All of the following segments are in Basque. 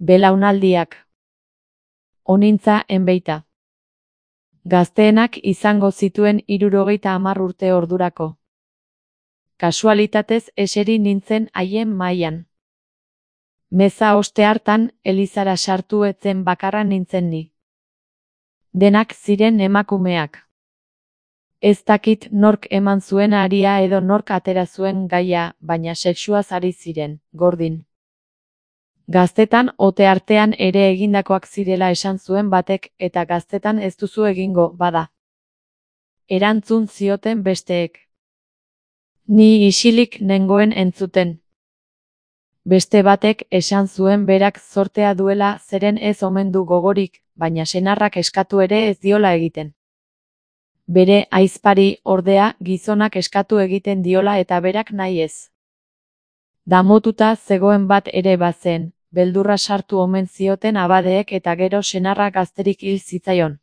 Belaunaldiak. Onintza enbeita. Gazteenak izango zituen 70 urte ordurako. Kasualitatez eseri nintzen haien mailan. Meza oste hartan, elizara sartu etzen bakarra nintzen ni. Denak ziren emakumeak. Ez dakit nork eman zuen aria edo nork atera zuen gaia, baina sexuaz ari ziren, gordin. Gaztetan ote artean ere egindakoak zirela esan zuen batek, eta gaztetan ez duzu egingo, bada. Erantzun zioten besteek. Ni isilik nengoen entzuten. Beste batek esan zuen berak zortea duela zeren ez omen du gogorik, baina senarrak eskatu ere ez diola egiten. Bere ahizpari, ordea, gizonak eskatu egiten diola eta berak nahi ez. Damututa zegoen bat ere bazen, beldurra sartu omen zioten abadeek eta gero senarra gazterik hil zitzaion.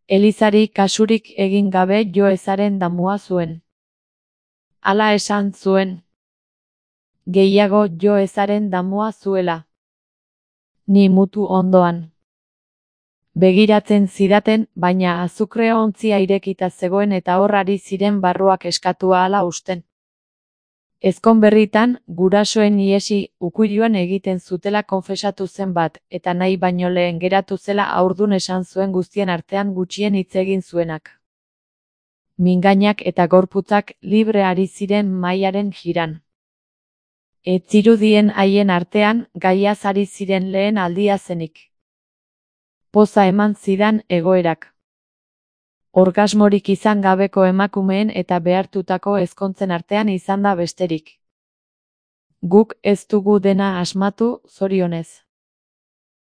Elizari kasurik egin gabe jo ezaren damua zuen. Hala esan zuen. Gehiago jo ezaren damua zuela. Ni mutu ondoan. Begiratzen zidaten, baina azukre ontzia irekita zegoen eta hor ari ziren barruak eskatua hala usten. Ezkonberritan, gurasoen ihesi ukuiluan egiten zutela konfesatu zen bat, eta nahi baino lehen geratu zela haurdun esan zuen guztien artean gutxien hitz egin zuenak. Mingainak eta gorputzak libre ari ziren mahaiaren jiran. Ez zirudien haien artean, gaiaz ari ziren lehen aldia zenik. Poza eman zidan egoerak. Orgasmorik izan gabeko emakumeen eta behartutako ezkontzen artean izan da besterik. Guk ez dugu dena asmatu, zorionez.